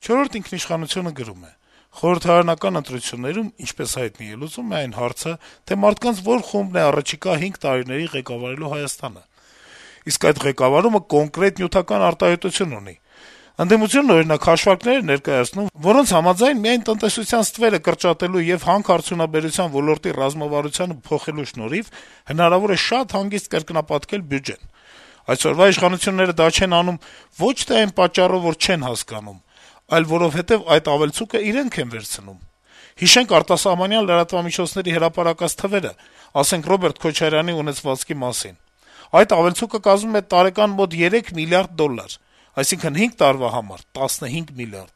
«Չորրորդ ինքնիշխանություն»-ը գրում է. - «Խորհրդարանական ընտրություններում, ինչպես հայտնի է, լուծում է այն հարցը, թե մարդկանց որ խումբն է առաջիկա 5 տարիների ղեկավարելու Հայաստանը: Իսկ այդ ղեկավարումը կոնկրետ նյութական արտահայտություն ունի: Ընդդիմությունն, օրինակ, հաշվարկներ է ներկայացնում, որոնց համաձայն միայն տնտեսության ստվերը կրճատելու եւ հանք-արդյունաբերության ոլորտի ռազմավարությանը փոխելու շնորհիվ հնարավոր է շատ հանգիստ կրկնապատկել բյուջեն: Այսօրվա իշխանությունները դա չեն անում ոչ թե այն պատճառով, որ չեն հասկանում, այլ որովհետեւ այդ ավելցուկը իրենք են վերցնում: Հիշենք արտասահմանյան լրատվամիջոցների հրապարակած թվերը, ասենք Ռոբերտ Քոչարյանի ունեցվածքի մասին: Այդ ավելցուկը կազմում է տարեկան մոտ 3 միլիարդ դոլար, այսինքն 5 տարվա համար 15 միլիարդ: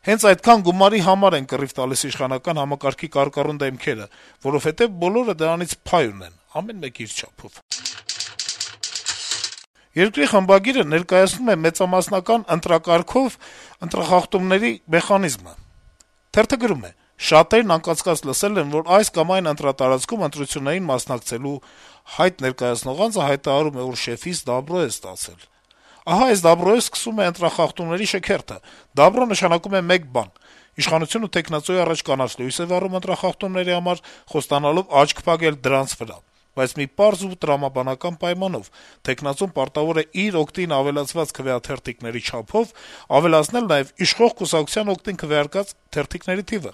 Հենց այդքան գումարի համար են կռիվ տալիս իշխանական համակարգի կարկառուն դեմքերը, որովհետեւ բոլորը դրանից փայ ունեն, ամեն մեկ իր չափով»: «Երկիր» թերթի խմբագիրը ներկայացնում է մեծամասնական ընտրակարգով ընտրախախտումների մեխանիզմը: Թերթը գրում է. - «Շատերն անկասկած լսել են, որ այս կամ այն ընտրատարածքում ընտրություններին մասնակցելու հայտ ներկայացնող անձը հայտարարում է, որ շեֆից դաբրո է ստացել: Ահա այս դաբրոյով սկսվում է ընտրախախտումների շքերթը: Դաբրո նշանակում է մեկ բան. իշխանությունը թեկնածուի առաջ կանաչ լույս է վառում ընտրախախտումների համար, խոստանալով աչք փակել դրանց վրա: Բայց մի պարզ ու տրամաբանական պայմանով. թեկնածուն պարտավոր է իր օգտին ավելացված քվեաթերթիկների չափով ավելացնել նաեւ իշխող կուսակցության օգտին քվեարկած թերթիկների թիվը: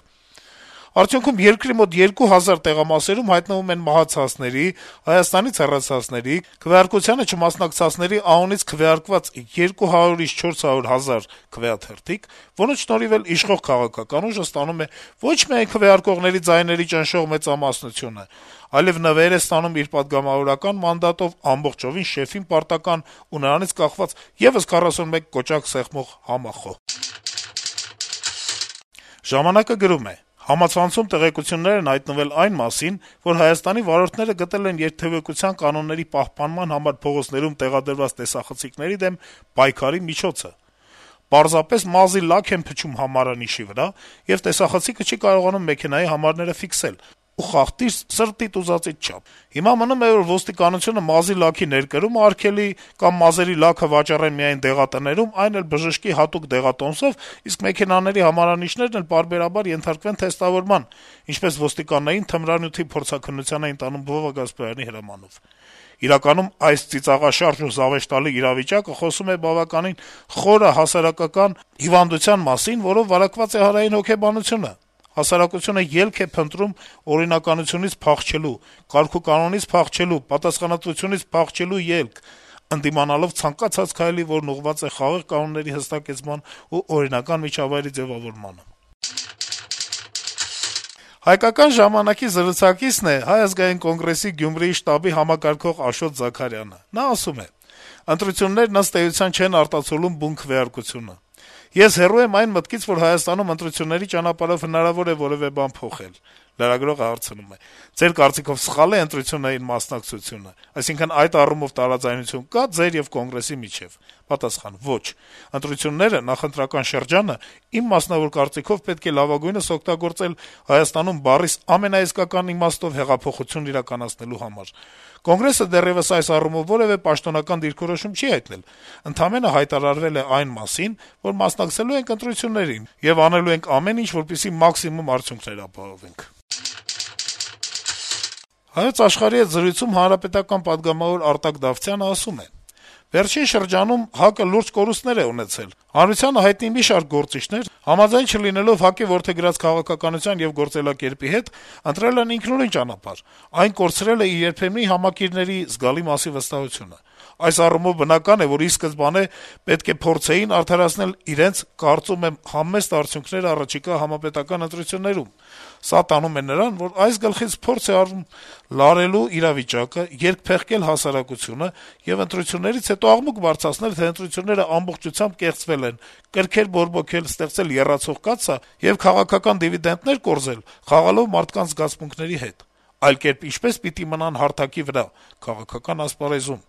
Արդյունքում երկրի մոտ 2000 տեղամասերում հայտնվում են մահացածների, Հայաստանից հեռացածների, քվեարկությանը չմասնակցածների անունից քվեարկված 200-ից 400 հազար քվեաթերթիկ, որոնց շնորհիվ էլ իշխող քաղաքական ուժը ստանում է ոչ միայն քվեարկողների ձայների ճնշող մեծամասնությունը, այլեւ նվեր է ստանում իր պատգամավորական մանդատով ամբողջովին շեֆին պարտական ու նրանից կախված եւս 41 կոճակ սեղմող համախոհ»: «Ժամանակ»-ը գրում է. - «Համացանցում տեղեկություններ են հայտնվել այն մասին, որ Հայաստանի վարորդները գտել են երթեւեկության կանոնների պահպանման համար փողոցներում տեղադրված տեսախցիկների դեմ պայքարի միջոցը: Պարզապես մազի լաք են փչում համարանիշի վրա, եւ տեսախցիկը չի կարողանում մեքենայի համարները ֆիքսել ու խախտիր սրտիդ ուզածիդ չափ: Հիմա մնում է, որ ոստիկանությունը մազի լաքի ներկրումը արգելի կամ մազերի լաքը վաճառեն միայն դեղատներում, այն էլ բժշկի հատուկ դեղատոմսով, իսկ մեքենաների համարանիշներն էլ պարբերաբար ենթարկվեն թեստավորման, ինչպես ոստիկաններին թմրանյութի փորձաքննության էին տանում Վովա Գասպարյանի հրամանով: Իրականում այս ծիծաղաշարժ ու զավեշտալի իրավիճակը խոսում է բավականին խորը հասարակական հիվանդության մասին, որով վարակված է հանրային հոգեբանությունը: Հասարակությունը ելք է փնտրում օրինականությունից փախչելու, կարգուկանոնից փախչելու, պատասխանատվությունից փախչելու ելք, ընդդիմանալով ցանկացած քայլի, որն ուղղված է խաղաղ կանոնների հստակեցման ու օրինական միջավայրի ձեւավորմանը»: «Հայկական ժամանակ»-ի զրուցակիցն է Հայ ազգային կոնգրեսի Գյումրիի շտաբի համակարգող Աշոտ Զաքարյանը: Նա ասում է. - «Ընտրություններն ըստ էության չեն արտացոլում բուն քվեարկությունը: Ես հեռու եմ այն մտքից, որ Հայաստանում ընտրությունների ճանապարհով հնարավոր է որեւէ բան փոխել»: Լրագրողը հարցնում է. - «Ձեր կարծիքով սխա՞լ է ընտրություններին մասնակցությունը: Այսինքն, այդ առումով տարաձայնություն կա՞ ձեր եւ Կոնգրեսի միջեւ»: Պատասխան. - «Ոչ: Ընտրությունները, նախընտրական շրջանը, իմ մասնավոր կարծիքով, պետք է լավագույնս օգտագործել Հայաստանում բառիս ամենաիսկական իմաստով հեղափոխություն իրականացնելու համար: Կոնգրեսը դեռեւս այս առումով որեւէ պաշտոնական դիրքորոշում չի հայտնել, ընդամենը հայտարարվել է այն մասին, որ մասնակցելու ենք ընտրություններին եւ անելու ենք ամեն ինչ, որպեսզի մաքսիմում արդյունքներ ապահովենք»: «Հայոց Աշխարհ»-ի հետ զրույցում հանրապետական պատգամավոր Արտակ Դավթյանը ասում է. - «Վերջին շրջանում ՀԱԿ-ը լուրջ կորուստներ է ունեցել: Հանրությանը հայտնի մի շարք գործիչներ, համաձայն չլինելով ՀԱԿ-ի որդեգրած քաղաքականության եւ գործելակերպի հետ, ընտրել են ինքնուրույն ճանապարհ: Այն կորցրել է իր երբեմնի համակիրների զգալի մասի վստահությունը: Այս առումով բնական է, որ ի սկզբանե պետք է փորձեին արդարացնել իրենց, կարծում եմ, համեստ արդյունքները առաջիկա համապետական ընտրություններում: Սա տանում է նրան, որ այս գլխից փորձ է արվում լարելու իրավիճակը, երկփեղկել հասարակությունը եւ ընտրություններից հետո աղմուկ բարձրացնել, թե ընտրություններն ամբողջությամբ կեղծվել են, կրքեր բորբոքել, ստեղծել եռացող կաթսա եւ քաղաքական դիվիդենտներ կորզել` խաղալով մարդկանց զգացմունքների հետ: Այլ կերպ ինչպե՞ս պիտի մնան հարթակի վրա` քաղաքական ասպարեզում»: